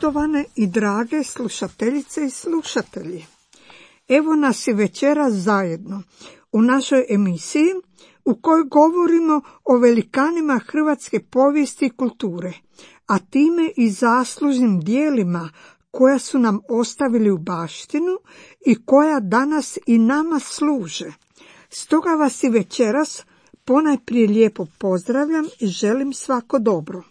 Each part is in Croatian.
Poštovane i drage slušateljice i slušatelji, evo nas i večeras zajedno u našoj emisiji u kojoj govorimo o velikanima hrvatske povijesti i kulture, a time i zaslužnim djelima koja su nam ostavili u baštinu i koja danas i nama služe. Stoga vas i večeras ponajprije lijepo pozdravljam i želim svako dobro.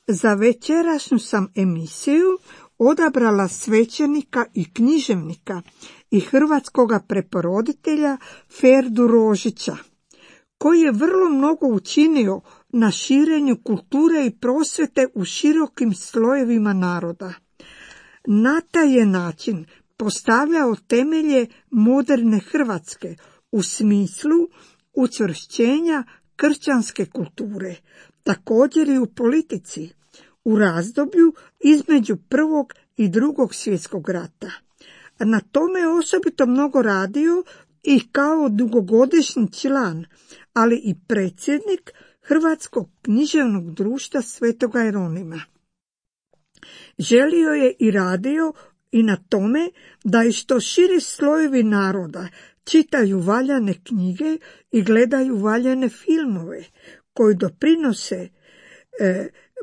Za večerašnju sam emisiju odabrala svećenika i književnika i hrvatskoga preporoditelja Ferdu Rožića, koji je vrlo mnogo učinio na širenju kulture i prosvjete u širokim slojevima naroda. Na taj je način postavljao temelje moderne Hrvatske u smislu učvršćenja kršćanske kulture, također i u politici, u razdoblju između Prvog i Drugog svjetskog rata. Na tome je osobito mnogo radio i kao dugogodišnji član, ali i predsjednik Hrvatskog književnog društva Svetoga Jeronima. Želio je i radio i na tome da i što širi slojevi naroda čitaju valjane knjige i gledaju valjane filmove koji doprinose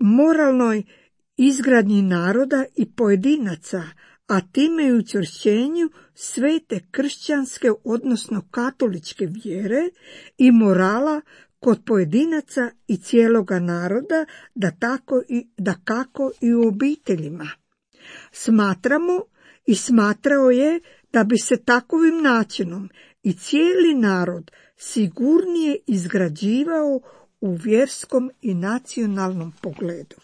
moralnoj izgradnji naroda i pojedinaca, a time i učvršćenju svete kršćanske, odnosno katoličke vjere i morala kod pojedinaca i cijeloga naroda, da kako i u obiteljima. Smatramo i smatrao je da bi se takovim načinom i cijeli narod sigurnije izgrađivao u vjerskom i nacionalnom pogledu.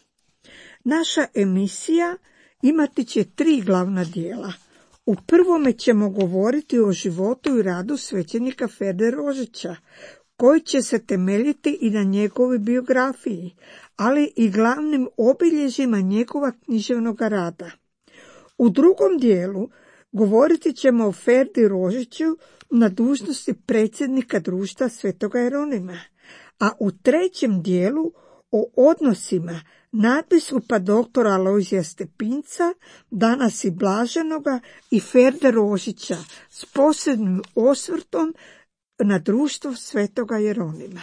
Naša emisija imati će 3 glavna dijela. U prvome ćemo govoriti o životu i radu svećenika Ferde Rožića, koji će se temeljiti i na njegovoj biografiji, ali i glavnim obilježjima njegova književnog rada. U drugom dijelu govoriti ćemo o Ferdi Rožiću na dužnosti predsjednika društva Svetoga Jeronima, a u trećem dijelu o odnosima nadbiskupa doktora Alojzija Stepinca, danas i blaženoga, i Ferde Rožića s posebnim osvrtom na društvo Svetoga Jeronima.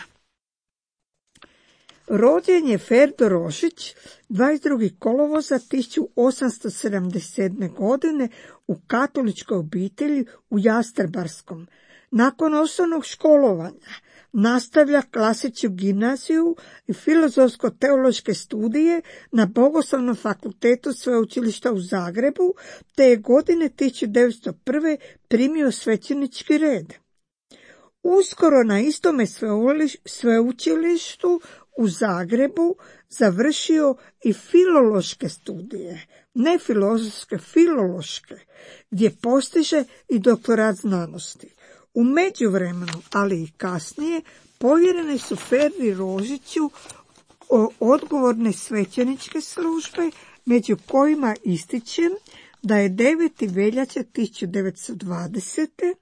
Rođen je Ferdo Rožić 22. kolovoza 1877. godine u katoličkoj obitelji u Jastrebarskom. Nakon osnovnog školovanja nastavlja klasičnu gimnaziju i filozofsko-teološke studije na Bogoslovnom fakultetu Sveučilišta u Zagrebu, te je godine 1901. primio svećenički red. Uskoro na istome sveučilištu u Zagrebu završio i filološke studije, ne filozofske, filološke, gdje postiže i doktorat znanosti. U međuvremenu, ali i kasnije, povjerene su Ferdi Rožiću odgovorne svećeničke službe, među kojima ističem da je 9. veljače 1920.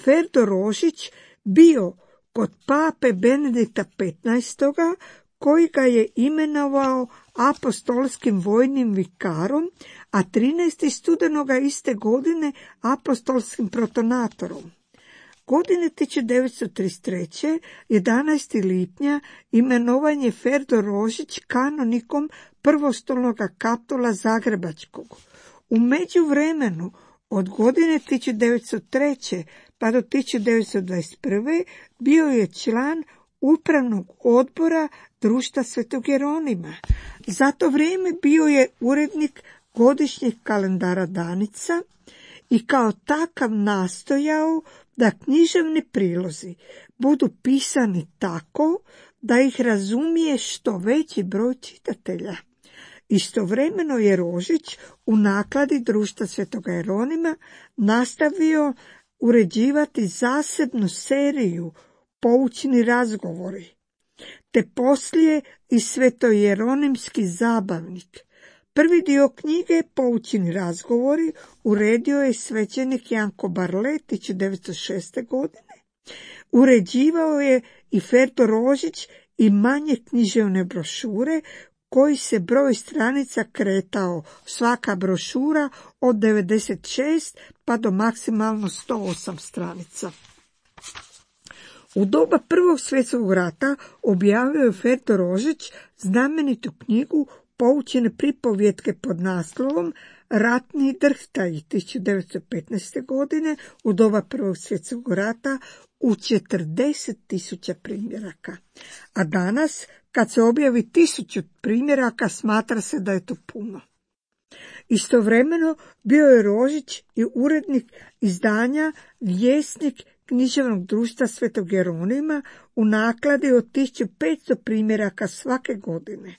Ferdo Rožić bio kod pape Benedikta XV. Koji ga je imenovao apostolskim vojnim vikarom, a 13. studenoga iste godine apostolskim protonatorom. Godine 1933. 11. lipnja imenovan je Ferdo Rožić kanonikom prvostolnog kapitula Zagrebačkog. U međuvremenu od godine 1903. pa do 1921. bio je član upravnog odbora društva Svetog Jeronima. Za to vrijeme bio je urednik godišnjeg kalendara Danica i kao takav nastojao da književni prilozi budu pisani tako da ih razumije što veći broj čitatelja. Istovremeno je Rožić u nakladi društva Svetoga Jeronima nastavio uređivati zasebnu seriju Poučni razgovori, te poslije i Svetojeronimski zabavnik. Prvi dio knjige Poučni razgovori uredio je svećenik Janko Barle 1906. godine. Uređivao je i Ferdo Rožić i manje književne brošure koji se broj stranica kretao, svaka brošura od 96 pa do maksimalno 108 stranica. U doba Prvog svjetskog rata objavio je Ferdo Rožić znamenitu knjigu Poučene pripovjetke pod naslovom Ratni drhtaji 1915. godine u doba Prvog svjetskog rata u 40.000 primjeraka. A danas, kad se objavi 1000 primjeraka, smatra se da je to puno. Istovremeno bio je Rožić i urednik izdanja Vjesnik književnog društva Svetog Jeronima u nakladi od 1500 primjeraka svake godine.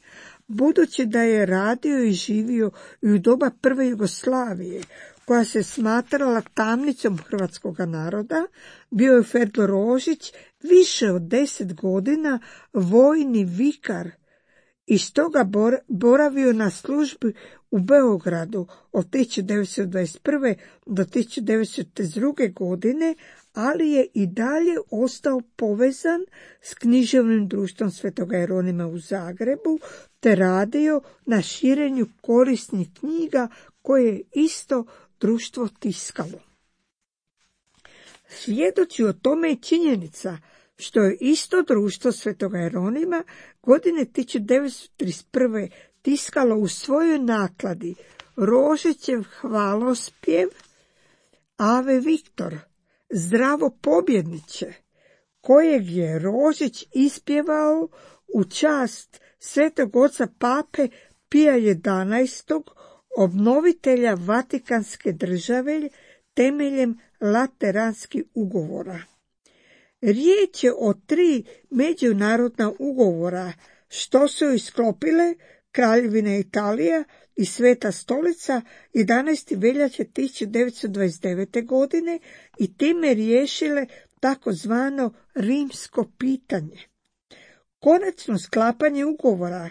Budući da je radio i živio i u doba prve Jugoslavije, koja se smatrala tamnicom hrvatskog naroda, bio je Ferdo Rožić više od 10 godina vojni vikar i stoga boravio na službi u Beogradu od 1921. do 1932. godine, ali je i dalje ostao povezan s književnim društvom Svetoga Jeronima u Zagrebu, te radio na širenju korisnih knjiga koje je isto društvo tiskalo. Svjedoči o tome je činjenica što je isto društvo Svetoga Jeronima godine 1931. tiskalo u svojoj nakladi Rožićev hvalospjev Ave Viktor, zdravo pobjedniče, kojeg je Rožić ispjevao u čast Svetog oca Pape Pija XI, obnovitelja Vatikanske države temeljem Lateranskih ugovora. Riječ je o 3 međunarodna ugovora što su isklopile Kraljevina Italija i Sveta stolica 11. veljače 1929. godine i time riješile takozvano rimsko pitanje. Konačno sklapanje ugovora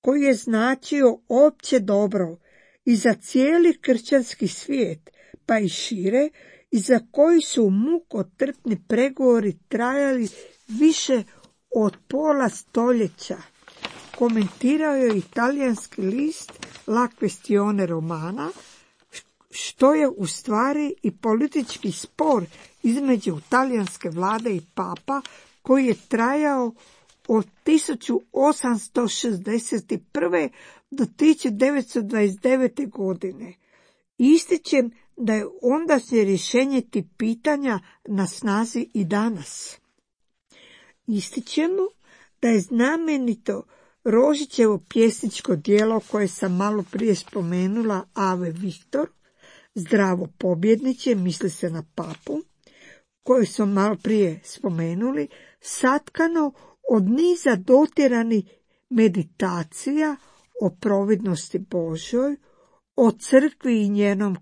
koji je značio opće dobro i za cijeli kršćanski svijet, pa i šire, i za koji su mukotrpni pregovori trajali više od pola stoljeća, komentirao je italijanski list La Questione Romana, što je u stvari i politički spor između talijanske vlade i papa koji je trajao od 1861. do 1929. godine. Ističem da je ondašnje rješenje tih pitanja na snazi i danas. Ističemo da je znamenito Rožićevo pjesničko djelo koje sam malo prije spomenula, Ave Viktor, zdravo pobjedniče, misli se na papu, koje smo malo prije spomenuli, satkano od niza dotjeranih meditacija o providnosti Božoj, o crkvi i njenom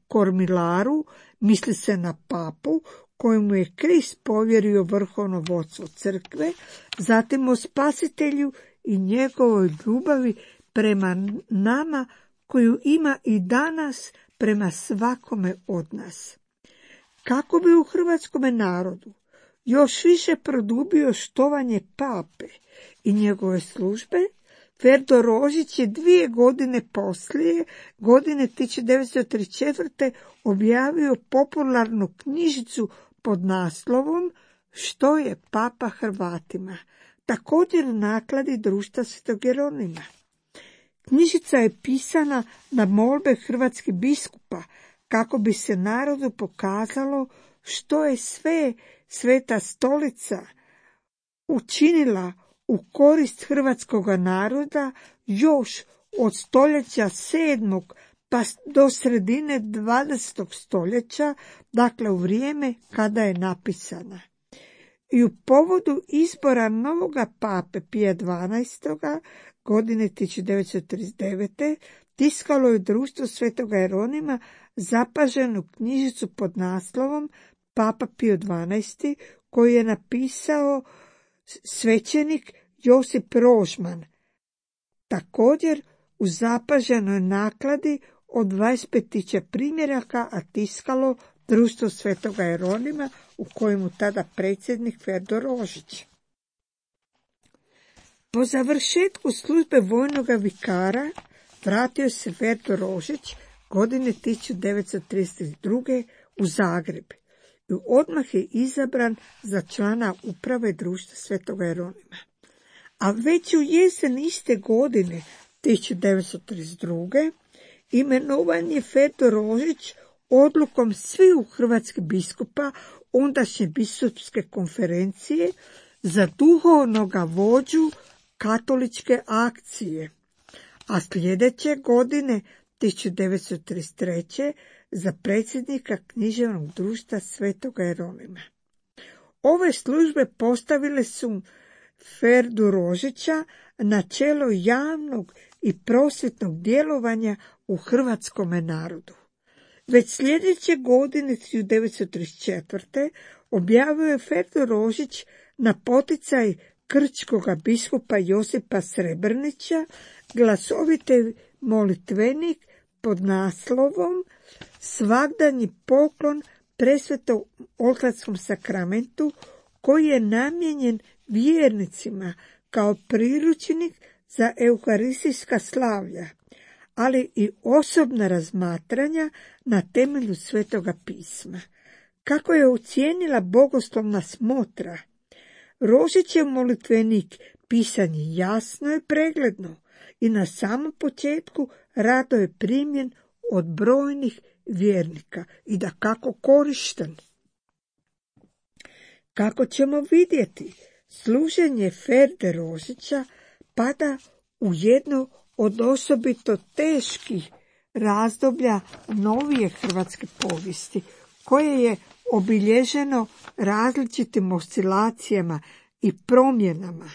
kormilaru, misli se na papu, kojemu je Krist povjerio vrhovno vodstvo crkve, zatim o spasitelju i njegovoj ljubavi prema nama, koju ima i danas prema svakome od nas. Kako bi u hrvatskome narodu još više produbio štovanje pape i njegove službe, Ferdo Rožić je 2 godine poslije, godine 1934. objavio popularnu knjižicu pod naslovom Što je papa Hrvatima, također u nakladi društva Svetog Jeronima. Knjižica je pisana na molbe hrvatskih biskupa kako bi se narodu pokazalo što je sve Sveta stolica učinila u korist hrvatskog naroda još od stoljeća 7. pa do sredine 20. stoljeća, dakle u vrijeme kada je napisana. I u povodu izbora novoga pape Pija XII. Godine 1939. tiskalo je društvo Svetoga Jeronima zapaženu knjižicu pod naslovom Papa Pio XII, koju je napisao svećenik Josip Rožman. Također u zapaženoj nakladi od 25.000 primjeraka, a tiskalo društvo Svetoga Jeronima, u kojemu tada predsjednik Ferdo Rožić. Po završetku službe vojnoga vikara vratio se Ferdo Rožić godine 1932. u Zagreb i odmah je izabran za člana uprave društva Svetoga Jeronima. A već u jesen iste godine 1932. imenovan je Ferdo Rožić odlukom sviju hrvatskih biskupa ondašnje biskupske konferencije za duhovnoga vođu katoličke akcije, a sljedeće godine 1933. za predsjednika književnog društva Svetoga Jeronima. Ove službe postavile su Ferdu Rožića na čelo javnog i prosvjetnog djelovanja u hrvatskome narodu. Već sljedeće godine 1934. objavio je Ferdo Rožić na poticaj krčkoga biskupa Josipa Srebrnića glasoviti molitvenik pod naslovom Svagdanji poklon presvetom oltarskom sakramentu, koji je namijenjen vjernicima kao priručnik za euharistijska slavlja, ali i osobna razmatranja na temelju Svetoga pisma. Kako je ocijenila bogoslovna smotra, Rožićev molitvenik pisan je jasno i pregledno i na samom početku rado je primjen od brojnih vjernika i dakako korišten. Kako ćemo vidjeti, služenje Ferde Rožića pada u jedno od osobito teških razdoblja novije hrvatske povijesti, koje je obilježeno različitim oscilacijama i promjenama.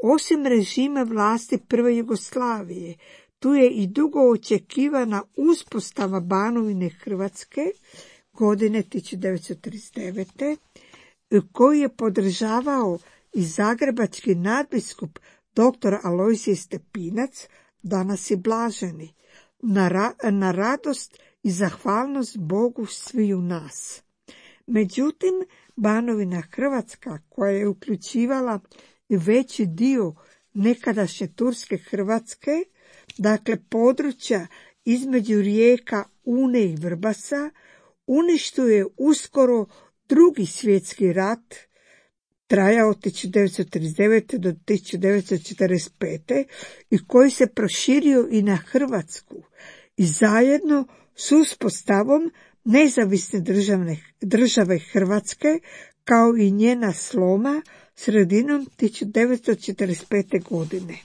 Osim režima vlasti prve Jugoslavije, tu je i dugo očekivana uspostava Banovine Hrvatske godine 1939. koju je podržavao i zagrebački nadbiskup dr. Alojzije Stepinac, danas je blaženi, na radost i zahvalnost Bogu sviju nas. Međutim, Banovina Hrvatska, koja je uključivala veći dio nekadašnje turske Hrvatske, dakle područja između rijeka Une i Vrbasa, uništio je uskoro Drugi svjetski rat, trajao od 1939. do 1945. i koji se proširio i na Hrvatsku i zajedno s uspostavom nezavisne države Hrvatske kao i njena sloma sredinom 1945. godine.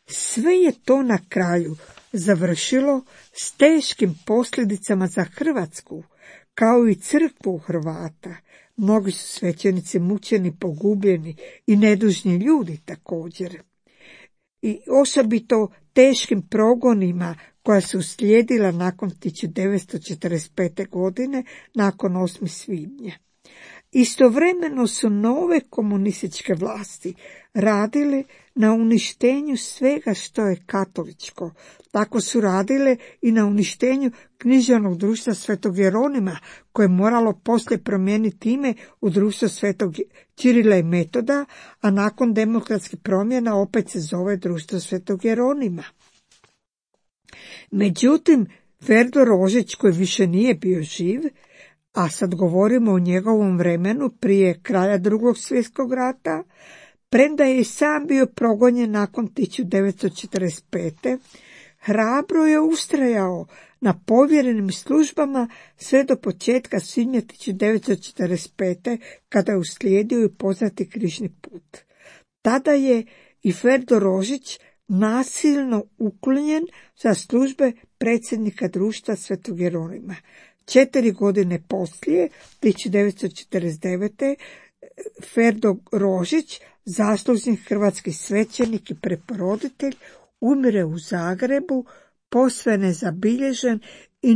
Sve je to na kraju završilo s teškim posljedicama za Hrvatsku, kao i crkvu Hrvata. Mnogi su svećenici mučeni, pogubljeni i nedužni ljudi također. I osobito teškim progonima koja su uslijedila nakon 1945. godine, nakon 8. svibnja. Istovremeno su nove komunističke vlasti radile na uništenju svega što je katoličko. Tako su radile i na uništenju književnog društva Svetog Jeronima, koje je moralo poslije promijeniti ime u društvo Svetog Čirila i Metoda, a nakon demokratskih promjena opet se zove društvo Svetog Jeronima. Međutim, Ferdo Rožić, koji više nije bio živ, a sad govorimo o njegovom vremenu prije kraja Drugog svjetskog rata, premda je i sam bio progonjen nakon 1945. hrabro je ustrajao na povjerenim službama sve do početka svibnja 1945. kada je uslijedio i poznati križni put. Tada je i Ferdo Rožić nasilno uklonjen za službe predsjednika društva Svetog Jeronima. 4 godine poslije, 1949. Ferdo Rožić, zaslužni hrvatski svećenik i preporoditelj, umire u Zagrebu, posve nezabilježen i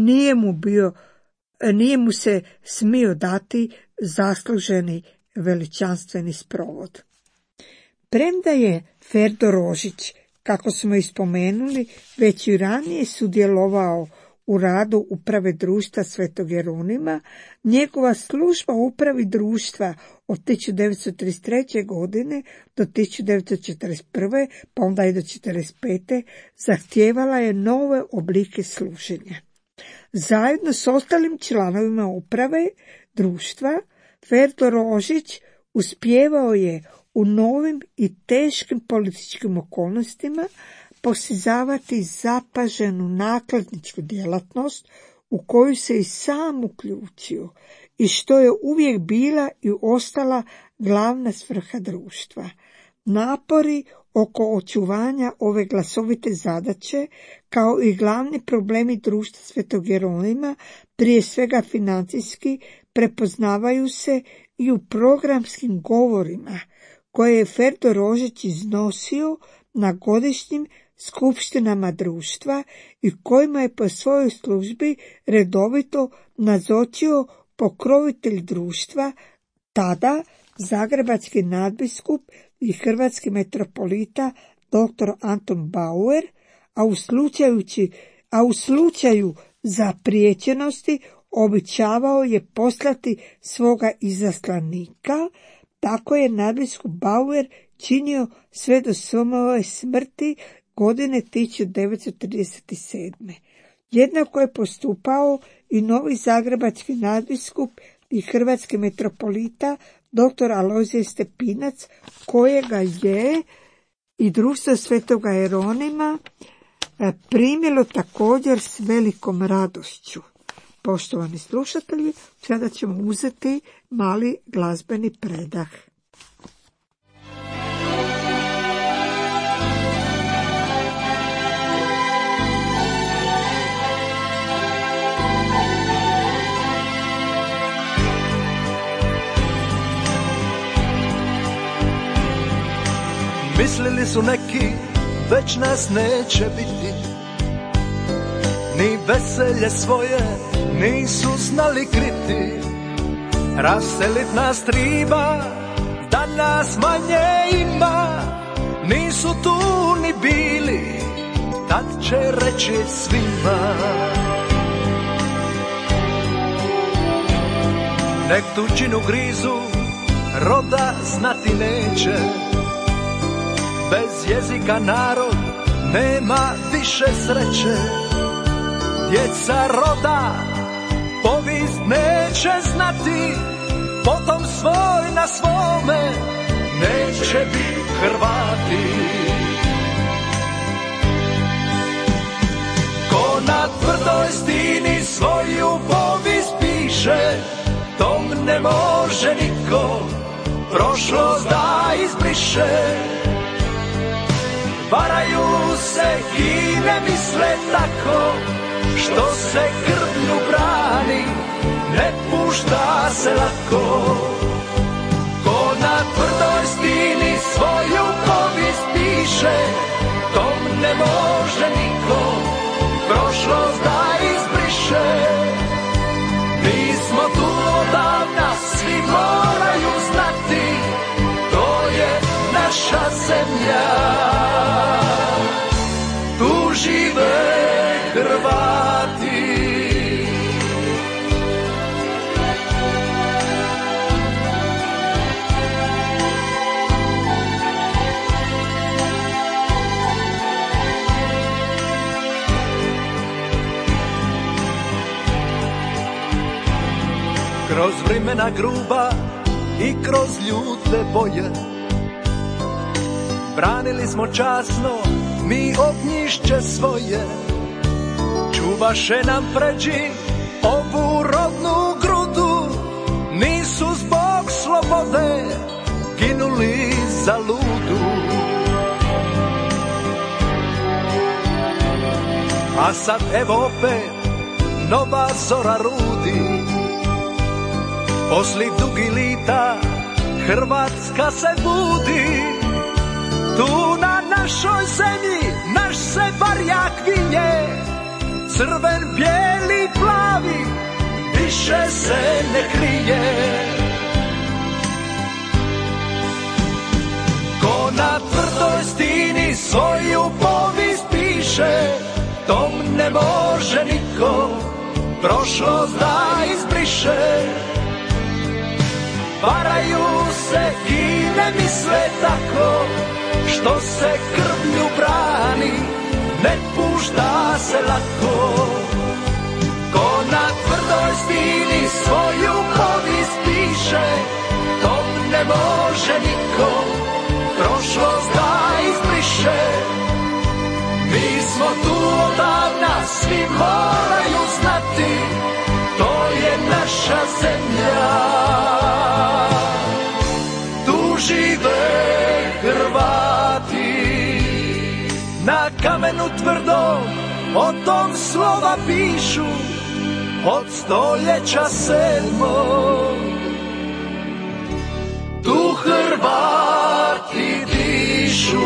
nije mu se smio dati zasluženi veličanstveni sprovod. Premda je Ferdo Rožić, kako smo ispomenuli, već i ranije sudjelovao u radu uprave društva Svetog Jeronima. Njegova služba u upravi društva od 1933. godine do 1941. pa onda i do 1945. zahtijevala je nove oblike služenja. Zajedno s ostalim članovima uprave društva, Ferdo Rožić uspijevao je u novim i teškim političkim okolnostima postizavati zapaženu nakladničku djelatnost u koju se i sam uključio i što je uvijek bila i ostala glavna svrha društva. Napori oko očuvanja ove glasovite zadaće, kao i glavni problemi društva Svetog Jeronima, prije svega financijski, prepoznavaju se i u programskim govorima koje je Ferdo Rožić iznosio na godišnjim skupštinama društva i kojima je po svojoj službi redovito nazočio pokrovitelj društva, tada zagrebački nadbiskup i hrvatski metropolita dr. Anton Bauer, a u slučaju zapriječenosti običavao je poslati svoga izaslanika. Tako je nadbiskup Bauer činio sve do svoje smrti godine 1937. Jednako je postupao i novi zagrebački nadbiskup i hrvatski metropolita dr. Alojzije Stepinac, kojega je i društvo Svetoga Jeronima primilo također s velikom radošću. Poštovani slušatelji, sada ćemo uzeti mali glazbeni predah. Mislili su neki, već nas neće biti, ni veselje svoje nisu znali kriti. Raselit nas triba, da nas manje ima, nisu tu ni bili, tad će reći svima. Nek tuđinu grizu, roda znati neće, bez jezika narod nema više sreće. Djeca roda povijest neće znati, potom svoj na svome neće biti Hrvati. Ko na tvrdoj stini svoju povijest piše, tom ne može niko prošlost da izbriše. Varaju se i ne misle tako, što se krvlju brani, ne pušta se lako. Ko na tvrdoj stini svoju povijest piše, tom ne može niko prošlost da izbriše. Mi smo tu odavna, svi moraju znati, to je naša zemlja. Tu žive Hrvati. Kroz vremena gruba i kroz ljute boje branili smo časno mi ognjišće svoje. Čuvaše nam pređi ovu rodnu grudu, nisu zbog slobode ginuli za ludu. A sad evo opet nova zora rudi, posli dugi lita Hrvatska se budi. Tu na našoj zemlji naš se barjak vinje, crven, bijeli, plavi, više se ne krije. Ko na tvrdoj stini svoju povijest piše, tom ne može niko prošlost da izbriše. Varaju se i ne misle tako, što se krvlju brani, ne pušta se lako. Ko na tvrdoj stini svoju povijest piše, tom ne može niko prošlost da izbriše. Mi smo tu odavna, svi moraju znati, to je naša zemlja. Tu žive Hrvati, na kamenu tvrdom o tom slova pišu, od stoljeća 7. Tu Hrvati dišu.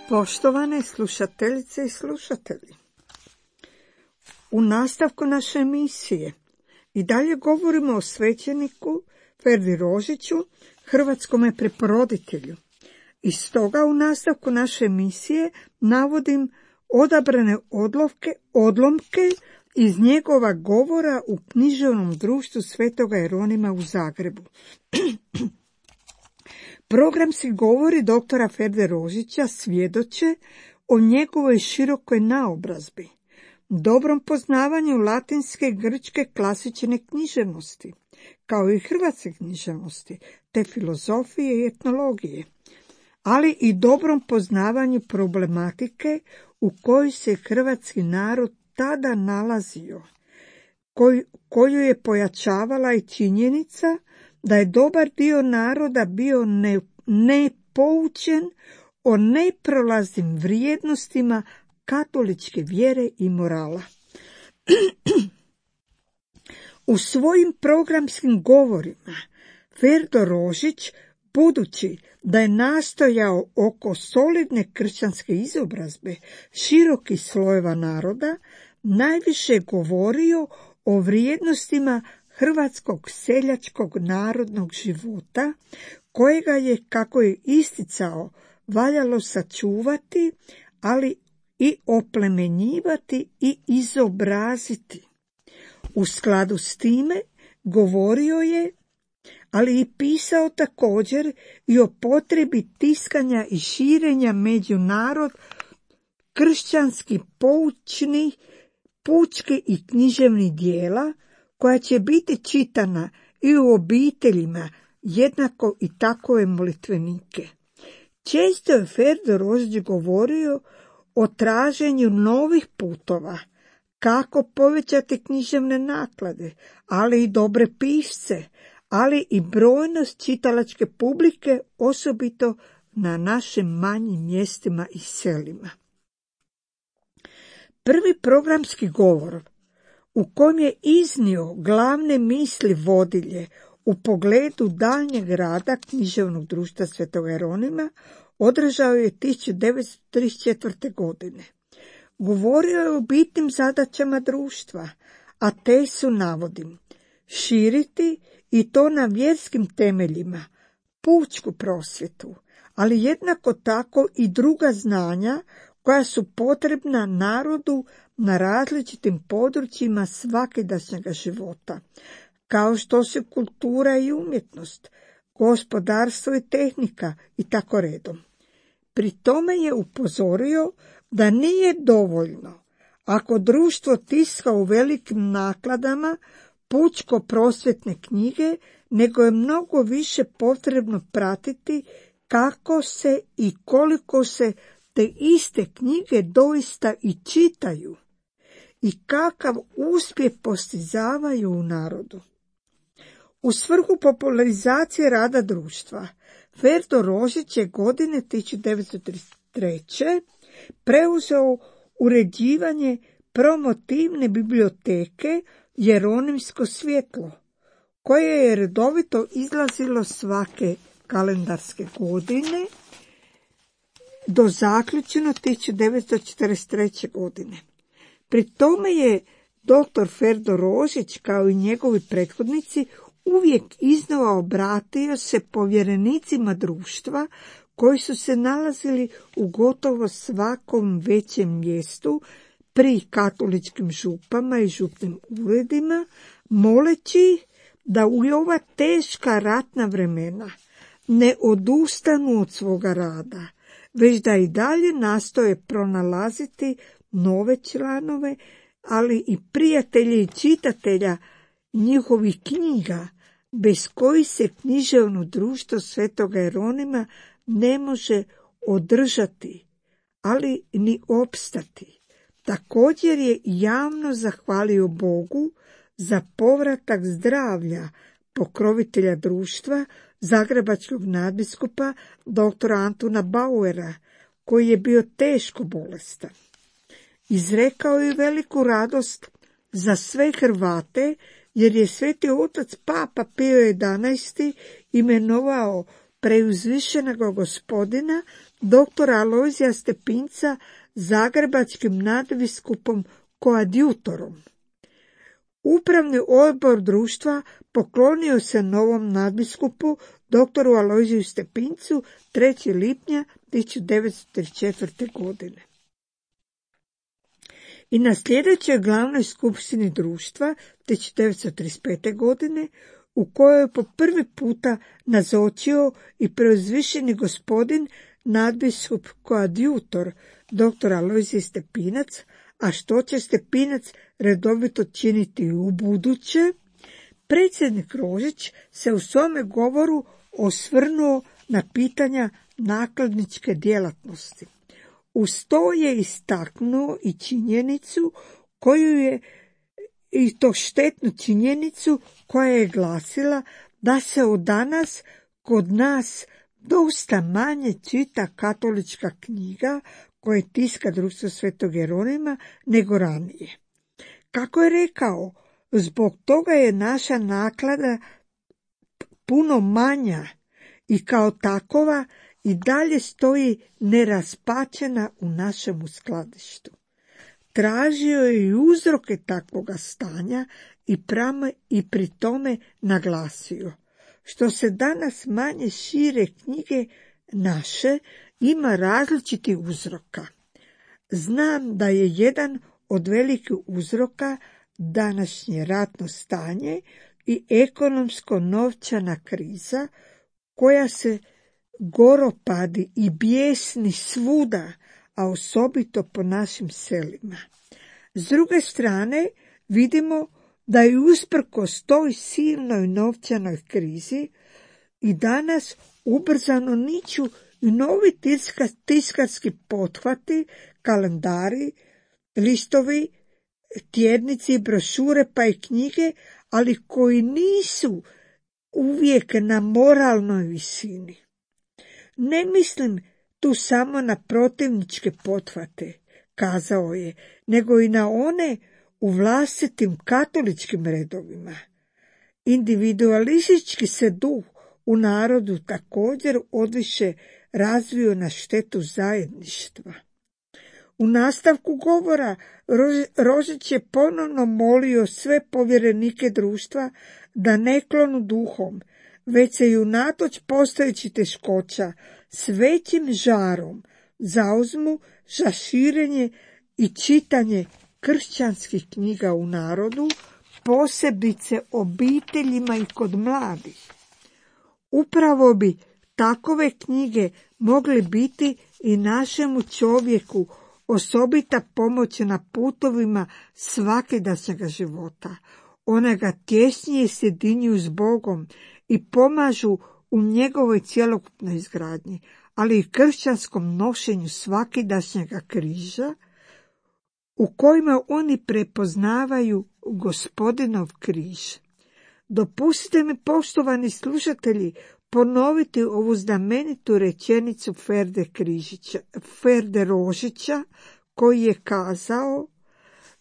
Poštovane slušateljice i slušatelji, u nastavku naše emisije i dalje govorimo o svećeniku Ferdi Rožiću, hrvatskome preporoditelju. I stoga u nastavku naše emisije navodim odabrane odlomke iz njegova govora u književnom društvu Svetoga Jeronima u Zagrebu. Programski govori doktora Ferde Rožića svjedoče o njegovoj širokoj naobrazbi, dobrom poznavanju latinske i grčke klasične književnosti, kao i hrvatske književnosti, te filozofije i etnologije, ali i dobrom poznavanju problematike u kojoj se hrvatski narod tada nalazio, koju je pojačavala i činjenica da je dobar dio naroda bio nepoučen o neprolaznim vrijednostima katoličke vjere i morala. U svojim programskim govorima Ferdo Rožić, budući da je nastojao oko solidne kršćanske izobrazbe širokih slojeva naroda, najviše govorio o vrijednostima hrvatskog seljačkog narodnog života, kojega je, kako je isticao, valjalo sačuvati, ali i oplemenjivati i izobraziti. U skladu s time govorio je, ali i pisao također i o potrebi tiskanja i širenja među narod kršćanski poučnih, pučki i književnih dijela, koja će biti čitana i u obiteljima, jednako i takove molitvenike. Često je Ferdo Rožić govorio o traženju novih putova, kako povećati književne naklade, ali i dobre pisce, ali i brojnost čitalačke publike, osobito na našim manjim mjestima i selima. Prvi programski govor, u kojem je iznio glavne misli vodilje u pogledu daljnjeg rada književnog društva Svetog Jeronima, održao je 1934. godine. Govorio je o bitnim zadaćama društva, a te su, navodim, širiti, i to na vjerskim temeljima, pučku prosvjetu, ali jednako tako i druga znanja koja su potrebna narodu na različitim područjima svakidašnjega života, kao što su kultura i umjetnost, gospodarstvo i tehnika i tako redom. Pri tome je upozorio da nije dovoljno ako društvo tiska u velikim nakladama pučko-prosvjetne knjige, nego je mnogo više potrebno pratiti kako se i koliko se te iste knjige doista i čitaju i kakav uspjeh postizavaju u narodu. U svrhu popularizacije rada društva, Ferdo Rožić je godine 1933. preuzeo uređivanje promotivne biblioteke Jeronimsko svjetlo, koje je redovito izlazilo svake kalendarske godine do zaključeno 1943. godine. Pri tome je dr. Ferdo Rožić, kao i njegovi prethodnici, uvijek iznova obratio se povjerenicima društva koji su se nalazili u gotovo svakom većem mjestu pri katoličkim župama i župnim uredima, moleći da u ova teška ratna vremena ne odustanu od svoga rada, već da i dalje nastoje pronalaziti nove članove, ali i prijatelje i čitatelja njihovih knjiga, bez kojih se književno društvo Svetoga Jeronima ne može održati, ali ni opstati. Također je javno zahvalio Bogu za povratak zdravlja pokrovitelja društva, zagrebačkog nadbiskupa dr. Antuna Bauera, koji je bio teško bolestan. Izrekao je veliku radost za sve Hrvate, jer je Sveti otac Papa Pio XI imenovao preuzvišenog Gospodina dr. Alojzija Stepinca zagrebačkim nadbiskupom koadjutorom. Upravni odbor društva poklonio se novom nadbiskupu dr. Alojziju Stepincu 3. lipnja 1934. godine. I na sljedećoj glavnoj skupštini društva 1935. godine, u kojoj je po prvi puta nazočio i preuzvišeni gospodin nadbiskup koadjutor dr. Alojzij Stepinac, a što će Stepinac redovito činiti i u buduće, predsjednik Rožić se u svome govoru osvrnuo na pitanja nakladničke djelatnosti. Uz to je istaknuo i činjenicu koju je, i to štetnu činjenicu koja je glasila da se od danas kod nas dosta manje čita katolička knjiga koje tiska društvo Svetog Jeronima nego ranije. Kako je rekao, zbog toga je naša naklada puno manja i kao takova i dalje stoji neraspačena u našem skladištu. Tražio je i uzroke takvoga stanja i pri tome naglasio: što se danas manje šire knjige naše, ima različitih uzroka. Znam da je jedan od velikih uzroka današnje ratno stanje i ekonomsko-novčana kriza koja se goropadi i bijesni svuda, a osobito po našim selima. S druge strane, vidimo da je usprkos toj silnoj novčanoj krizi i danas ubrzano niču i novi tiskarski pothvati, kalendari, listovi, tjednici, brošure pa i knjige, ali koji nisu uvijek na moralnoj visini. Ne mislim tu samo na protivničke pothvate, kazao je, nego i na one u vlastitim katoličkim redovima. Individualistički se duh u narodu također odviše razvio na štetu zajedništva. U nastavku govora Rožić je ponovno molio sve povjerenike društva da ne klonu duhom, već se i unatoč postojećih teškoća s većim žarom zauzmu za širenje i čitanje kršćanskih knjiga u narodu, posebice obiteljima i kod mladih. Upravo bi takove knjige mogle biti i našemu čovjeku osobita pomoć na putovima svakidašnjega života. One ga tjesnije sjedinjuju s Bogom i pomažu u njegovoj cjelokupnoj izgradnji, ali i kršćanskom nošenju svakidašnjega križa, u kojima oni prepoznavaju Gospodinov križ. Dopustite mi, poštovani slušatelji, ponoviti ovu znamenitu rečenicu Ferde Rožića, koji je kazao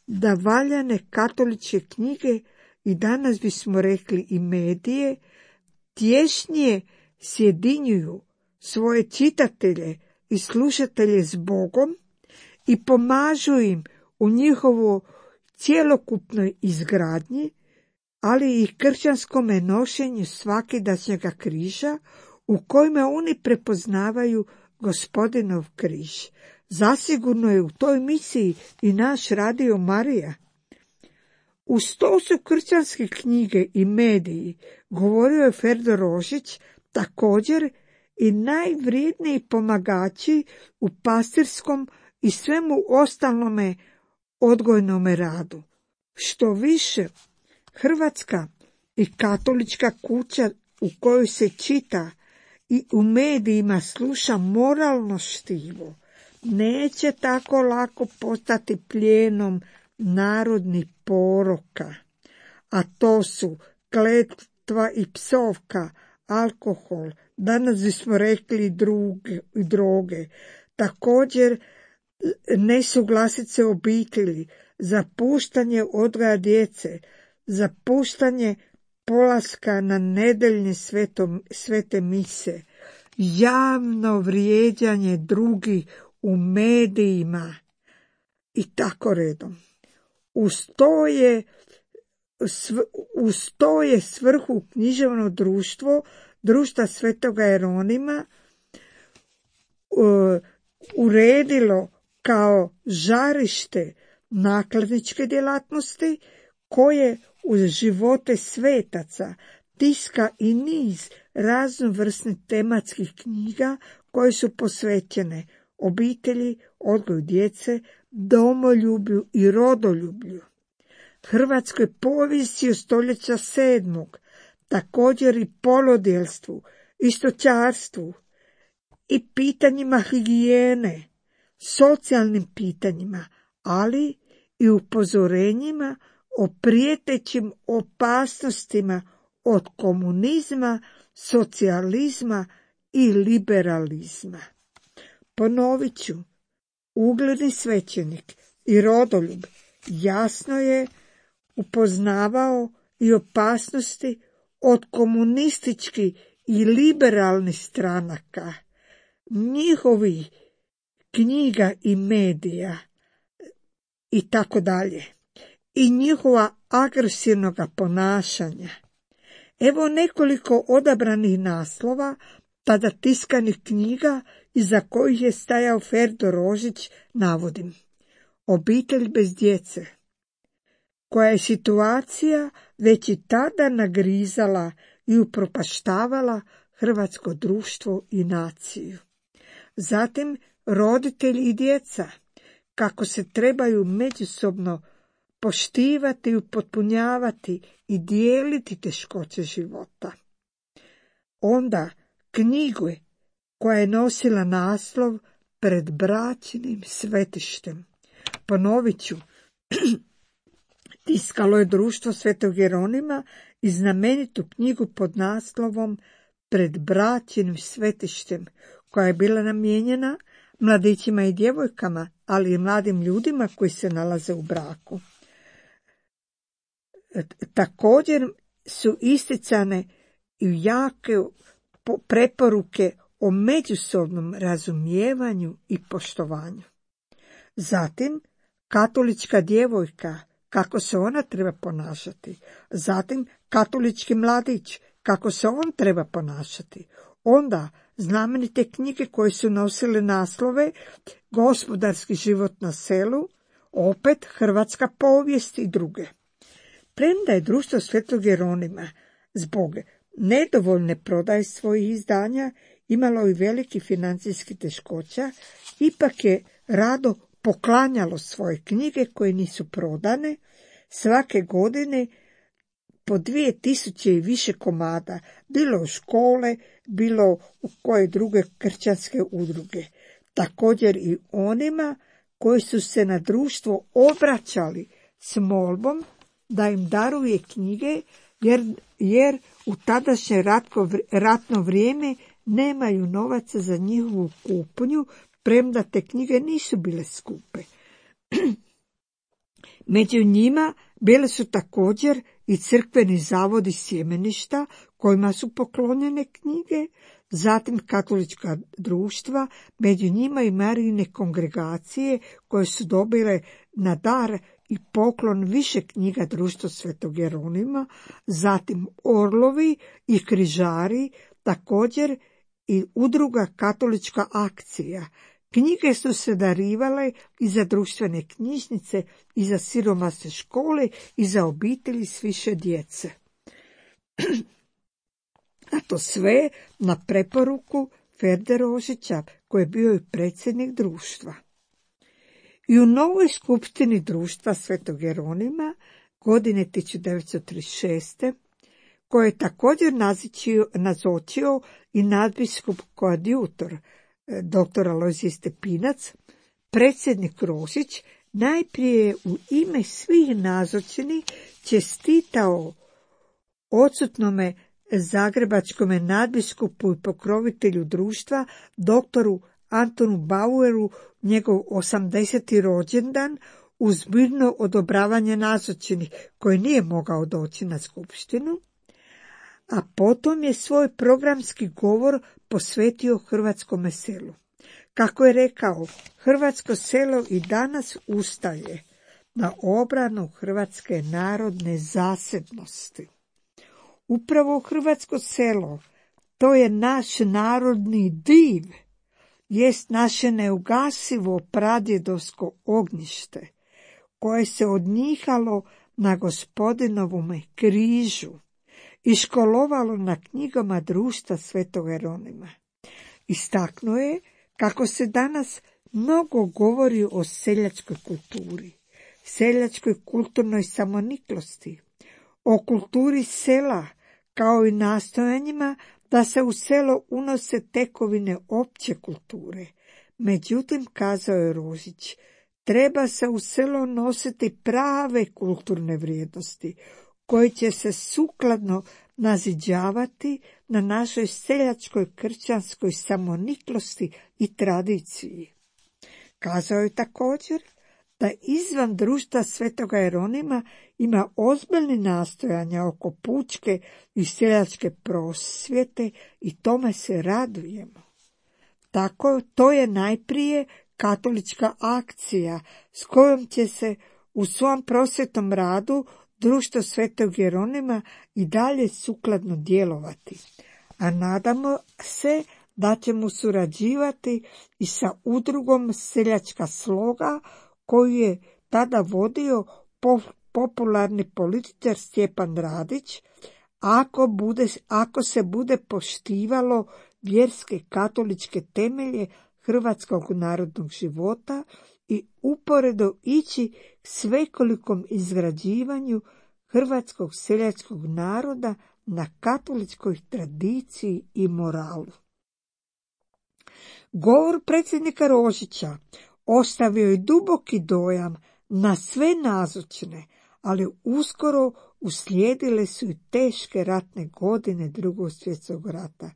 da valjane katoličke knjige, i danas bismo rekli i medije, tješnije sjedinjuju svoje čitatelje i slušatelje s Bogom i pomažu im u njihovoj cjelokupnoj izgradnji, ali i kršćanskome nošenju svakidašnjega križa, u kojima oni prepoznavaju Gospodinov križ. Zasigurno je u toj misiji i naš Radio Marija. Uz to su kršćanske knjige i mediji, govorio je Ferdo Rožić, također i najvrijedniji pomagači u pastirskom i svemu ostalome odgojnome radu. Što više, Hrvatska i katolička kuća u kojoj se čita i u medijima sluša moralno štivo, neće tako lako postati plijenom narodnih poroka, a to su kletva i psovka, alkohol, danas bismo rekli i droge, također nesuglasice obitelji, zapuštanje odgoja djece, zapuštanje polaska na nedeljne svete mise, javno vrijeđanje drugih u medijima i tako redom. Uz to je svrhu književno društva Svetoga Jeronima uredilo kao žarište nakladničke djelatnosti, koje uz živote svetaca tiska i niz raznovrsnih tematskih knjiga koje su posvećene obitelji, odgoju djece, domoljublju i rodoljublju, hrvatskoj povijesti od stoljeća 7., također i polodjelstvu, i stočarstvu, i pitanjima higijene, socijalnim pitanjima, ali i upozorenjima o prijetećim opasnostima od komunizma, socijalizma i liberalizma. Ponovit ću, ugledni svećenik i rodoljub jasno je upoznavao i opasnosti od komunističkih i liberalnih stranaka, njihovih knjiga i medija i tako dalje, i njihova agresivnog ponašanja. Evo nekoliko odabranih naslova tada tiskanih knjiga iza kojih je stajao Ferdo Rožić, navodim. Obitelj bez djece, koja je situacija već i tada nagrizala i upropaštavala hrvatsko društvo i naciju. Zatim roditelji i djeca, kako se trebaju međusobno poštivati, upotpunjavati i dijeliti teškoće života. Onda knjigu koja je nosila naslov Pred bračnim svetištem. Ponovit ću, tiskalo je društvo Svetog Jeronima i znamenitu knjigu pod naslovom Pred bračnim svetištem, koja je bila namijenjena mladićima i djevojkama, ali i mladim ljudima koji se nalaze u braku. Također su isticane i jake preporuke o međusobnom razumijevanju i poštovanju. Zatim, katolička djevojka, kako se ona treba ponašati. Zatim, katolički mladić, kako se on treba ponašati. Onda, znamenite knjige koje su nosile naslove Gospodarski život na selu, opet Hrvatska povijest i druge. Premda je društvo Svetog Jeronima zbog nedovoljne prodaje svojih izdanja imalo i veliki financijski teškoća, ipak je rado poklanjalo svoje knjige koje nisu prodane, svake godine po 2000 i više komada, bilo u škole, bilo u koje druge kršćanske udruge. Također i onima koji su se na društvo obraćali s molbom da im daruje knjige, jer u tadašnje ratno vrijeme nemaju novaca za njihovu kupnju, premda te knjige nisu bile skupe. Među njima bile su također i crkveni zavodi sjemeništa kojima su poklonjene knjige, zatim katolička društva, među njima i Marijine kongregacije koje su dobile na dar i poklon više knjiga Društva Svetog Jeronima, zatim Orlovi i križari, također i udruga Katolička akcija. Knjige su se darivale i za društvene knjižnice, i za siromasne škole, i za obitelji s više djece. A to sve na preporuku Ferde Rožića, koji je bio i predsjednik društva. I u novoj skupštini Društva Svetog Jeronima godine 1936. koje je također nazočio i nadbiskup koadjutor dr. Alojzije Stepinac, predsjednik Rožić najprije u ime svih nazočenih čestitao odsutnome zagrebačkome nadbiskupu i pokrovitelju društva, doktoru Antonu Baueru, njegov 80. rođendan, uz mirno odobravanje nazočenih, koji nije mogao doći na skupštinu, a potom je svoj programski govor posvetio hrvatskome selu. Kako je rekao, hrvatsko selo i danas ustaje na obranu hrvatske narodne zasebnosti. Upravo hrvatsko selo, to je naš narodni div, jest naše neugasivo pradjedovsko ognjište, koje se odnjihalo na Gospodinovome križu i školovalo na knjigama Društva Svetog Jeronima. Istaknuo je kako se danas mnogo govori o seljačkoj kulturi, seljačkoj kulturnoj samoniklosti, o kulturi sela, kao i nastojanjima da se u selo unose tekovine opće kulture. Međutim, kazao je Rožić, treba se u selo nositi prave kulturne vrijednosti, koje će se sukladno naziđavati na našoj seljačkoj kršćanskoj samoniklosti i tradiciji. Kazao je također da izvan Društva Svetoga Jeronima ima ozbiljni nastojanja oko pučke i seljačke prosvjete i tome se radujemo. Tako, to je najprije katolička akcija s kojom će se u svom prosvjetnom radu Društvo Svetog Jeronima i dalje sukladno djelovati, a nadamo se da ćemo surađivati i sa udrugom Seljačka sloga, koju je tada vodio popularni političar Stjepan Radić, ako se bude poštivalo vjerske katoličke temelje hrvatskog narodnog života i uporedo ići k svekolikom izgrađivanju hrvatskog seljačkog naroda na katoličkoj tradiciji i moralu. Govor predsjednika Rožića ostavio je duboki dojam na sve nazočne, ali uskoro uslijedile su i teške ratne godine Drugog svjetskog rata.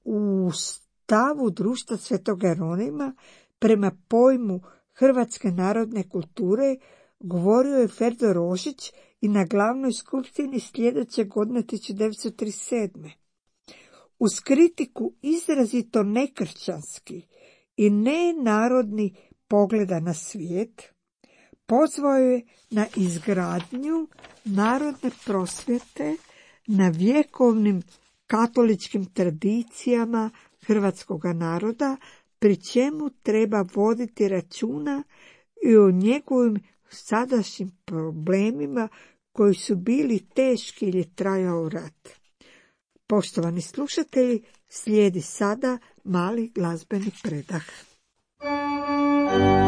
U stavu Društva Svetog Jeronima prema pojmu hrvatske narodne kulture govorio je Ferdo Rožić i na glavnoj skupštini sljedeće godine 1937. Uz kritiku izrazito nekršćanski i nenarodni pogleda na svijet, pozvao je na izgradnju narodne prosvjete na vjekovnim katoličkim tradicijama hrvatskog naroda, pri čemu treba voditi računa i o njegovim sadašnjim problemima koji su bili teški jer je trajao rat. Poštovani slušatelji, slijedi sada mali glazbeni predah. Neka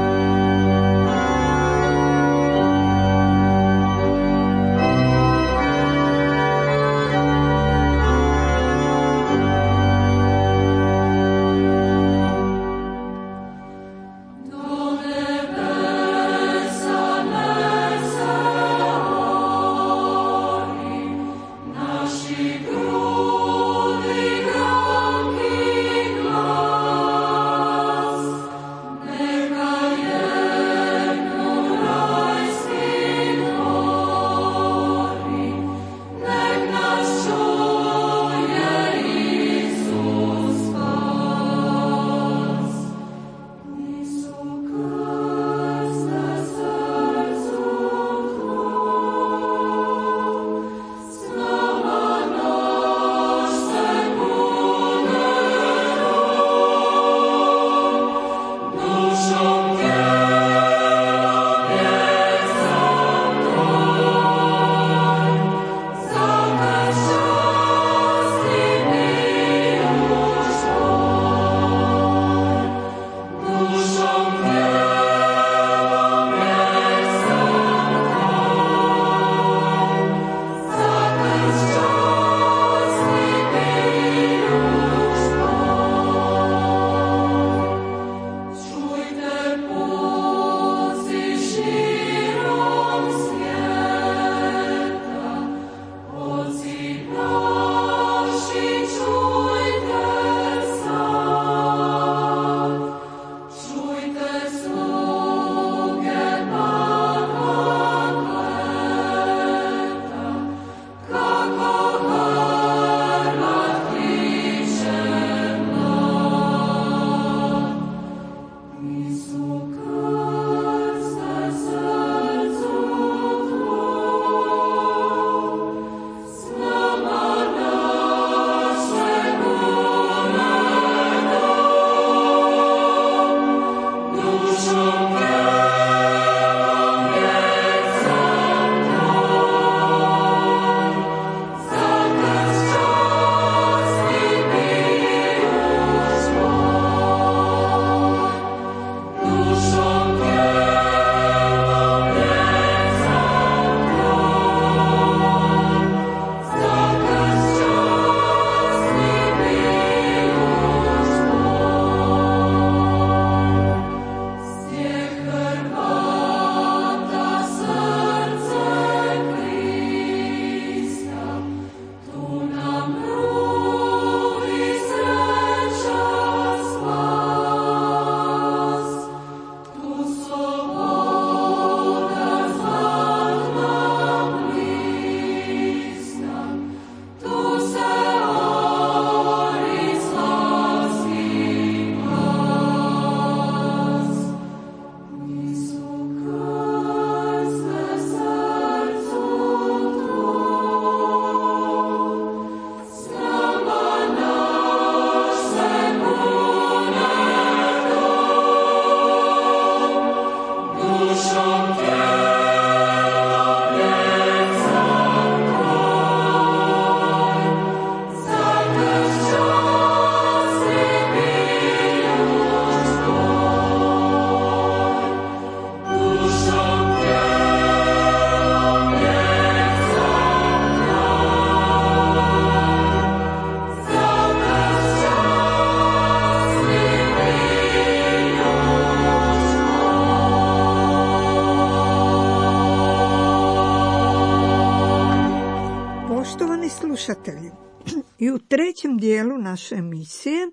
I u trećem dijelu naše emisije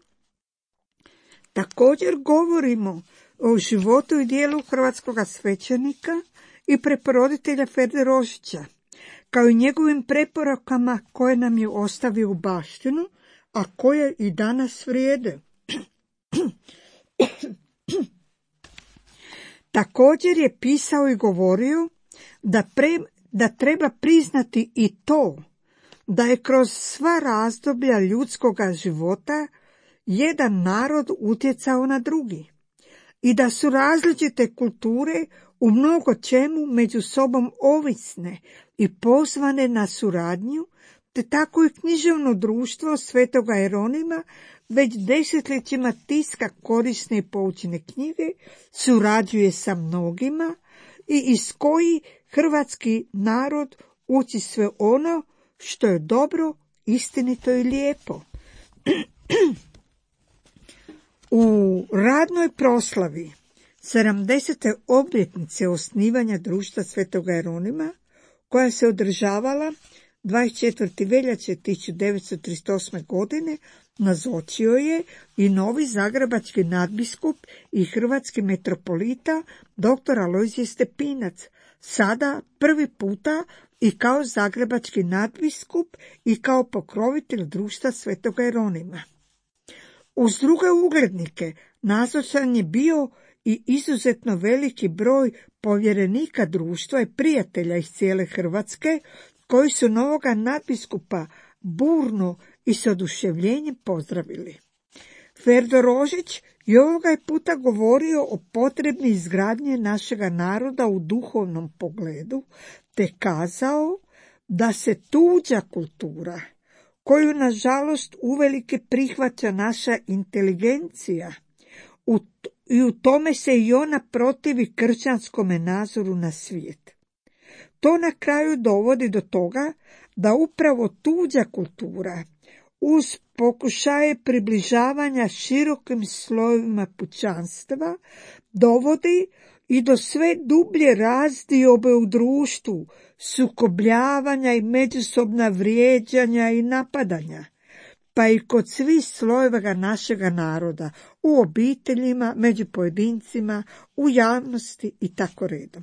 također govorimo o životu i dijelu hrvatskog svećenika i preporoditelja Ferde Rožića, kao i njegovim preporukama koje nam je ostavio u baštinu, a koje i danas vrijede. Također je pisao i govorio da treba priznati i to da je kroz sva razdoblja ljudskoga života jedan narod utjecao na drugi i da su različite kulture u mnogo čemu među sobom ovisne i pozvane na suradnju, te tako i književno društvo Svetoga Jeronima već desetljećima tiska korisne i poučne knjige, surađuje sa mnogima i iz koji hrvatski narod uči sve ono što je dobro, istinito i lijepo. U radnoj proslavi 70. obljetnice osnivanja društva Svetoga Jeronima, koja se održavala 24. veljače 1938. godine, nazočio je i novi zagrebački nadbiskup i hrvatski metropolita dr. Alojzije Stepinac, sada prvi puta i kao zagrebački nadbiskup i kao pokrovitelj društva Svetoga Jeronima. Uz druge uglednike nazočan je bio i izuzetno veliki broj povjerenika društva i prijatelja iz cijele Hrvatske, koji su novoga nadbiskupa burno i s oduševljenjem pozdravili. Ferdo Rožić i ovoga je puta govorio o potrebi izgradnje našega naroda u duhovnom pogledu, te kazao da se tuđa kultura, koju nažalost uvelike prihvaća naša inteligencija, i u tome se i ona protivi kršćanskome nazoru na svijet. To na kraju dovodi do toga da upravo tuđa kultura, uz pokušaje približavanja širokim slojevima pučanstva, dovodi i do sve dublje razdiobe u društvu, sukobljavanja i međusobna vrijeđanja i napadanja, pa i kod svih slojeva našega naroda, u obiteljima, među pojedincima, u javnosti i tako redom.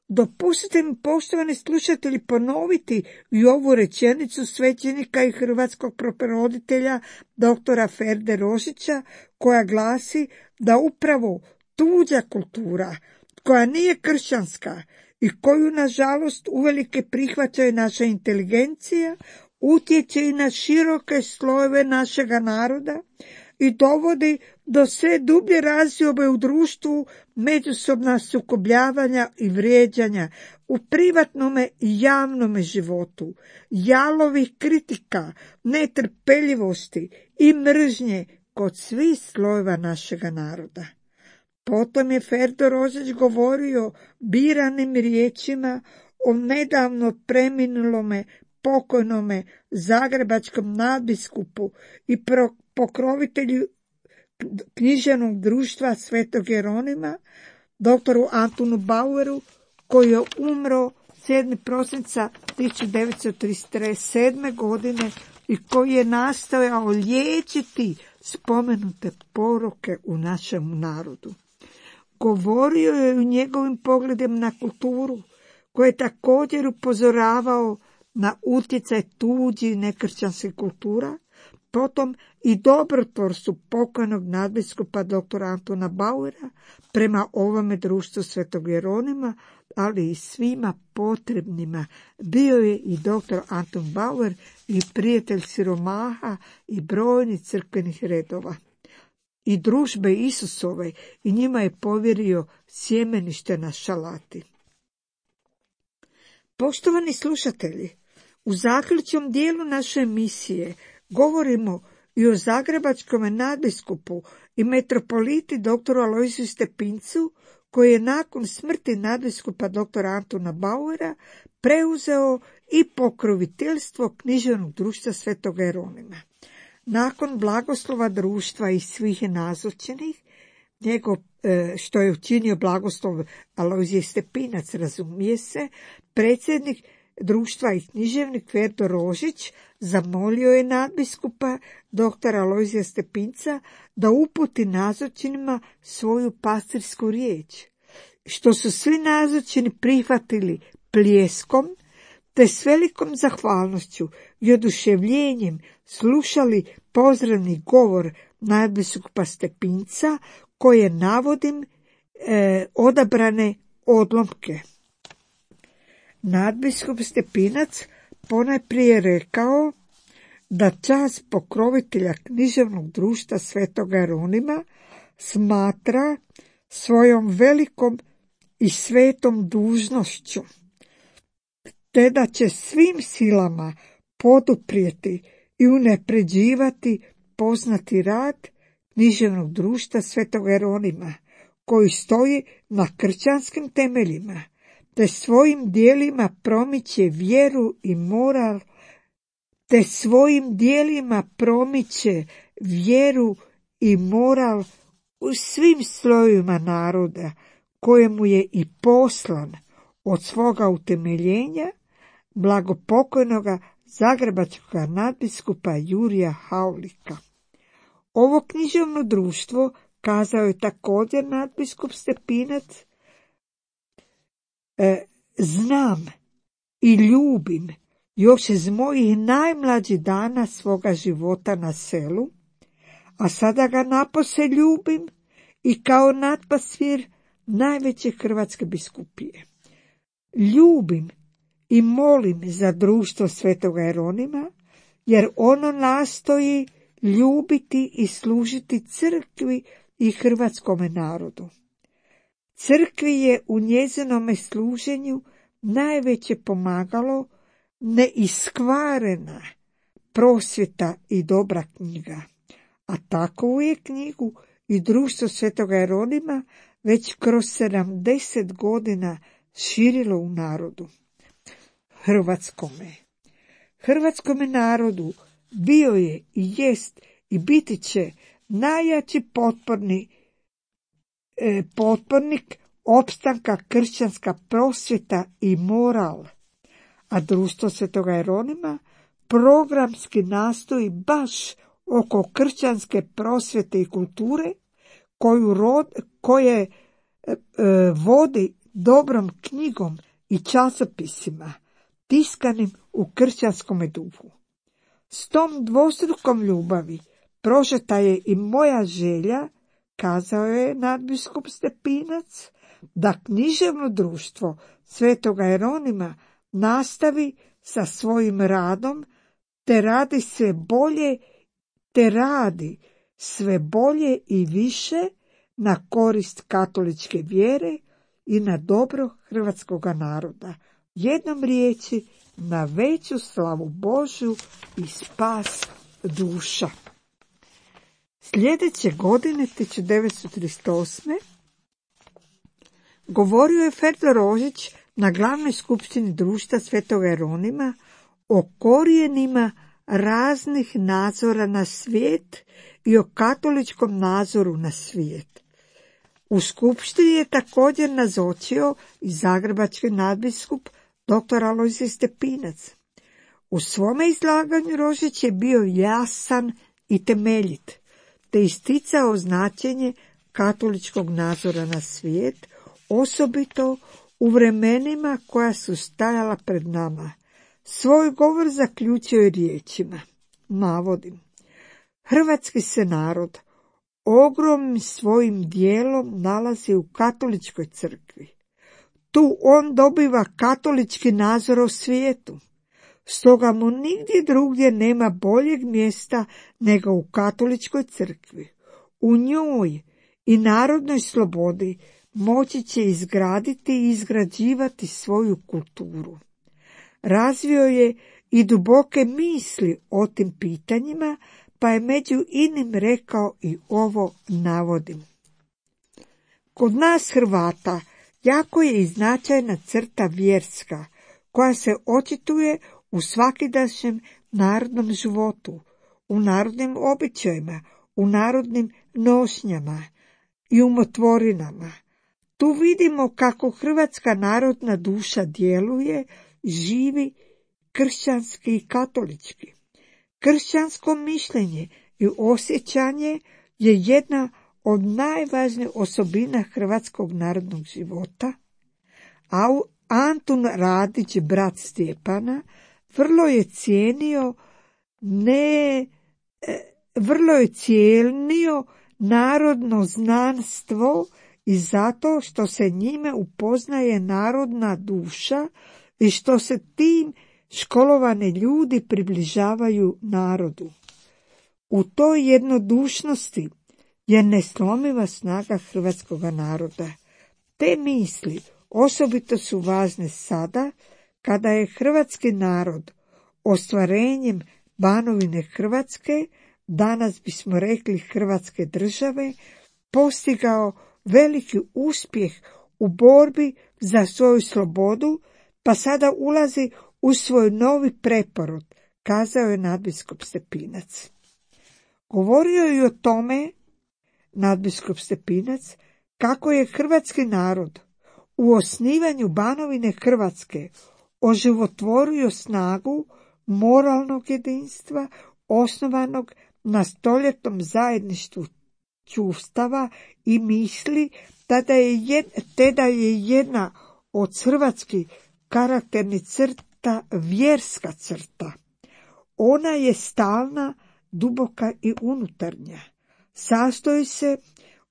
Dopustite mi, poštovani slušatelji, ponoviti i ovu rečenicu svećenika i hrvatskog preporoditelja doktora Ferde Rožića, koja glasi da upravo tuđa kultura, koja nije kršćanska i koju nažalost uvelike prihvaća naša inteligencija, utječe i na široke slojeve našega naroda i dovodi do sve dublje razdiobe u društvu, međusobna sukobljavanja i vrijeđanja u privatnome i javnome životu, jalovih kritika, netrpeljivosti i mržnje kod svih slojeva našega naroda. Potom je Ferdo Rožić govorio biranim riječima o nedavno preminulome pokojnome zagrebačkom nadbiskupu i pokrovitelju književnog društva Svetog Jeronima, doktoru Antunu Baueru, koji je umro 7. prosinca 1937. godine i koji je nastojao liječiti spomenute poruke u našem narodu. Govorio je o njegovim pogledima na kulturu, koji je također upozoravao na utjecaj tuđih nekršćanskih kultura, potom i dobrotvorstvu pokojnog nadbiskupa dr. Antuna Bauera prema ovome društvu Svetog Jeronima, ali i svima potrebnima. Bio je i dr. Anton Bauer i prijatelj siromaha i brojnih crkvenih redova i družbe Isusove, i njima je povjerio sjemenište na Šalati. Poštovani slušatelji, u zaključnom dijelu naše emisije govorimo i o zagrebačkom nadbiskupu i metropoliti dr. Alojziju Stepincu, koji je nakon smrti nadbiskupa dr. Antuna Bauera preuzeo i pokroviteljstvo književnog društva Svetog Jeronima. Nakon blagoslova društva i svih nazočenih, što je učinio blagoslov Alojzije Stepinac, razumije se, predsjednik društva i književnik Ferdo Rožić zamolio je nadbiskupa doktora Alojzija Stepinca da uputi nazočnima svoju pastirsku riječ, što su svi nazočni prihvatili pljeskom, te s velikom zahvalnošću i oduševljenjem slušali pozdravni govor nadbiskupa Stepinca, koje navodim odabrane odlomke. Nadbiskup Stepinac ponajprije rekao da čast pokrovitelja književnog društva Svetoga Jeronima smatra svojom velikom i svetom dužnošću, te da će svim silama poduprijeti i unapređivati poznati rad književnog društva Svetoga Jeronima, koji stoji na kršćanskim temeljima, te svojim dijelima promiče vjeru i moral u svim slojevima naroda, kojemu je i poslan od svoga utemeljenja blagopokojnoga zagrebačkog nadbiskupa Jurija Haulika. Ovo književno društvo, kazao je također nadbiskup Stepinac, znam i ljubim još iz mojih najmlađih dana svoga života na selu, a sada ga napose ljubim i kao nadpastir najveće hrvatske biskupije. Ljubim i molim za društvo Svetoga Jeronima, jer ono nastoji ljubiti i služiti crkvi i hrvatskome narodu. Crkvi je u njezinome služenju najveće pomagalo neiskvarena prosvjeta i dobra knjiga, a takovu je knjigu i društvo Svetoga Jeronima već kroz 70 godina širilo u narodu. Hrvatskome narodu bio je i jest i biti će najjači potpornik opstanka kršćanska prosvjeta i moral, a društvo Svetoga Jeronima programski nastoji baš oko kršćanske prosvjete i kulture, koje vodi dobrom knjigom i časopisima tiskanim u kršćanskome duhu. S tom dvostrukom ljubavi prožeta je i moja želja, kazao je nadbiskup Stepinac, da književno društvo Svetoga Jeronima nastavi sa svojim radom, te radi sve bolje i više na korist katoličke vjere i na dobro hrvatskoga naroda. Jednom riječi, na veću slavu Božju i spas duša. Sljedeće godine, 1938. govorio je Ferdo Rožić na glavnoj skupštini društva Svetoga Jeronima o korijenima raznih nazora na svijet i o katoličkom nazoru na svijet. U skupštini je također nazočio i zagrebački nadbiskup dr. Alojzij Stepinac. U svome izlaganju Rožić je bio jasan i temeljit, te isticao značenje katoličkog nazora na svijet, osobito u vremenima koja su stajala pred nama. Svoj govor zaključio je riječima, navodim: Hrvatski se narod ogromnim svojim dijelom nalazi u katoličkoj crkvi. Tu on dobiva katolički nazor o svijetu. Stoga mu nigdje drugdje nema boljeg mjesta nego u katoličkoj crkvi. U njoj i narodnoj slobodi moći će izgraditi i izgrađivati svoju kulturu. Razvio je i duboke misli o tim pitanjima, pa je među inim rekao i ovo, navodim: Kod nas Hrvata jako je i značajna crta vjerska, koja se očituje u svakidašnjem narodnom životu, u narodnim običajima, u narodnim nošnjama i umotvorinama. Tu vidimo kako hrvatska narodna duša djeluje živi kršćanski i katolički. Kršćansko mišljenje i osjećanje je jedna od najvažnijih osobina hrvatskog narodnog života, a Antun Radić, brat Stjepana, vrlo je cijenio narodno znanstvo i zato što se njime upoznaje narodna duša i što se tim školovani ljudi približavaju narodu. U toj jednodušnosti je neslomiva snaga hrvatskog naroda. Te misli osobito su važne sada kada je hrvatski narod ostvarenjem Banovine Hrvatske, danas bismo rekli Hrvatske države, postigao veliki uspjeh u borbi za svoju slobodu, pa sada ulazi u svoj novi preporod, kazao je nadbiskup Stepinac. Govorio je i o tome nadbiskup Stepinac kako je hrvatski narod u osnivanju Banovine Hrvatske oživotvorio snagu moralnog jedinstva osnovanog na stoljetnom zajedništvu čuvstava i misli, te da je jedna od hrvatskih karakternih crta vjerska crta. Ona je stalna, duboka i unutarnja. Sastoji se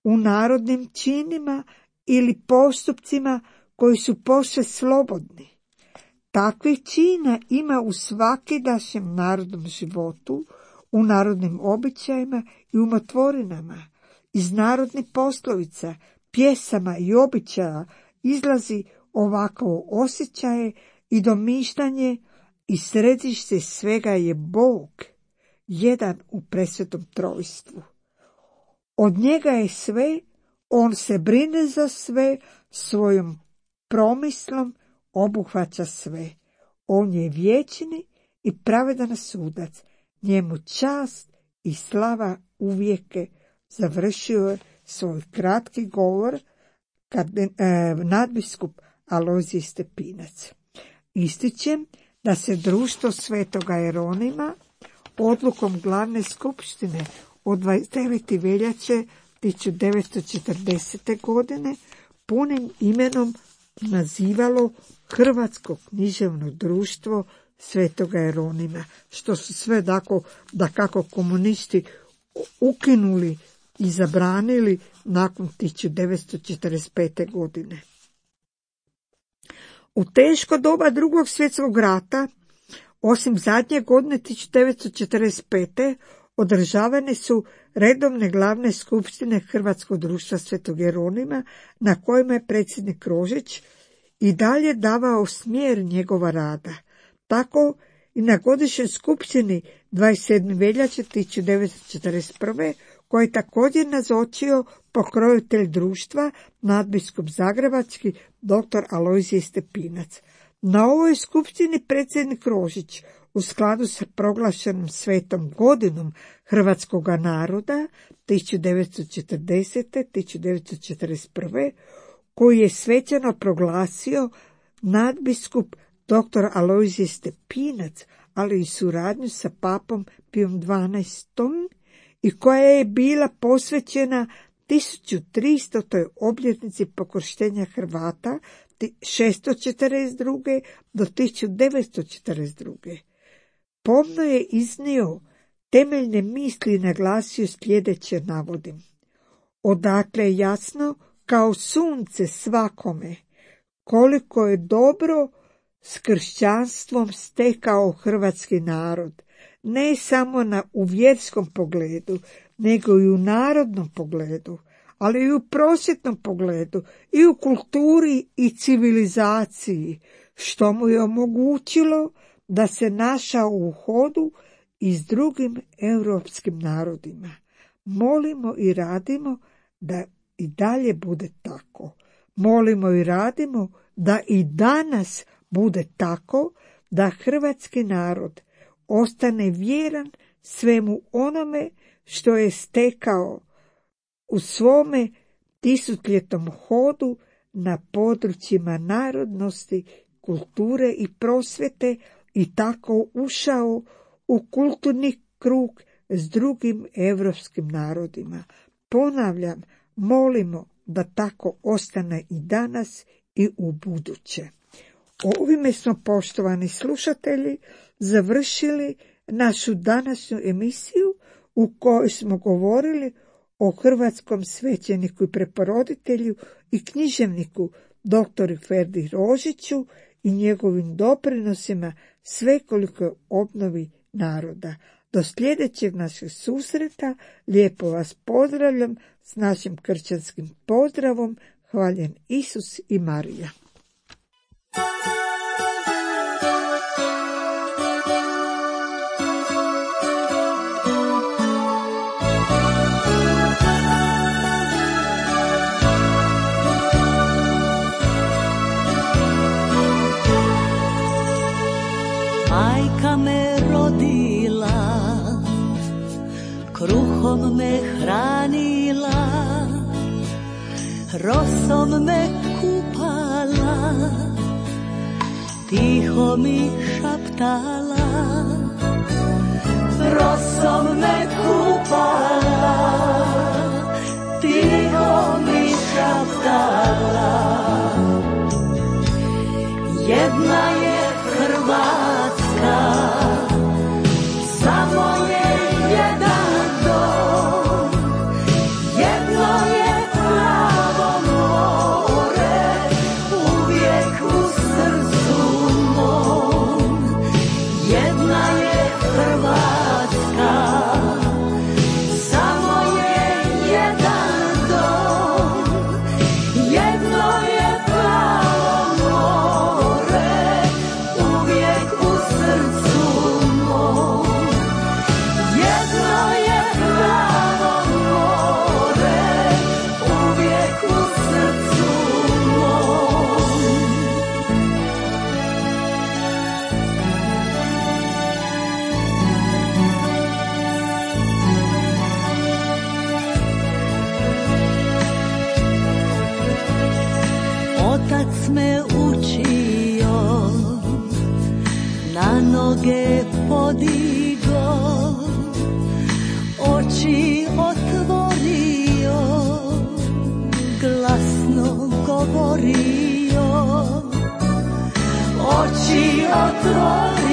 u narodnim činima ili postupcima koji su posve slobodni. Takvih čina ima u svakidašnjem narodnom životu, u narodnim običajima i umotvorinama. Iz narodnih poslovica, pjesama i običaja izlazi ovakvo osjećaje i domišljanje i središte svega je Bog, jedan u presvetom trojstvu. Od njega je sve, on se brine za sve, svojom promislom obuhvaća sve. On je vječni i pravedan sudac, njemu čast i slava uvijeke. Završio je svoj kratki govor nadbiskup Alojzije Stepinac. Ističem da se društvo Svetoga Jeronima odlukom glavne skupštine od 29. veljače 1940. godine punim imenom nazivalo Hrvatsko književno društvo Svetoga Jeronima, što su sve dakako komunisti ukinuli i zabranili nakon 1945. godine. U teško doba Drugog svjetskog rata, osim zadnje godine 1945. održavane su redovne glavne skupštine Hrvatskog društva Svetog Jeronima, na kojima je predsjednik Rožić i dalje davao smjer njegova rada. Tako i na godišnjoj skupštini 27. veljače 1941. koji je također nazočio pokrovitelj društva, nadbiskup zagrebački dr. Alojzije Stepinac. Na ovoj skupštini predsjednik Rožić, u skladu sa proglašenom svetom godinom hrvatskoga naroda 1940. 1941. koji je svečano proglasio nadbiskup dr. Alojzije Stepinac, ali i suradnju sa papom Pijom XII. i koja je bila posvećena 1300. obljetnici pokrštenja Hrvata 642. do 1942. Pomno je iznio temeljne misli i naglasio sljedeće, navodim. Odakle je jasno kao sunce svakome koliko je dobro s kršćanstvom stekao hrvatski narod, ne samo u vjerskom pogledu, nego i u narodnom pogledu, ali i u prosvjetnom pogledu, i u kulturi i civilizaciji, što mu je omogućilo da se našao u hodu i s drugim europskim narodima. Molimo i radimo da i dalje bude tako. Molimo i radimo da i danas bude tako, da hrvatski narod ostane vjeran svemu onome što je stekao u svome tisutljetnom hodu na područjima narodnosti kulture i prosvjete i tako ušao u kulturni krug s drugim europskim narodima. Ponavljam, molimo da tako ostane i danas i u buduće. Ovime smo, poštovani slušatelji, završili našu današnju emisiju u kojoj smo govorili o hrvatskom svećeniku i preporoditelju i književniku dr. Ferdi Rožiću i njegovim doprinosima svekolikoj obnovi naroda. Do sljedećeg našeg susreta lijepo vas pozdravljam s našim kršćanskim pozdravom. Hvaljen Isus i Marija. Majka me rodila, kruhom me hranila, rosom me kupala, tiho mi šaptala. Rosom me kupala, tiho mi šaptala. Jedna je Hrvatska, samo je jedan dom, jedno je plavo more, uvijek u srcu mom. Jedna je Hrvatska, samo je jedan dom, jedno je plavo more, uvijek u srcu mom. Jedno je plavo more, uvijek u srcu mom. Otac me učio, na noge podigo, oči otvorio, glasno govorio. Oči otvorio,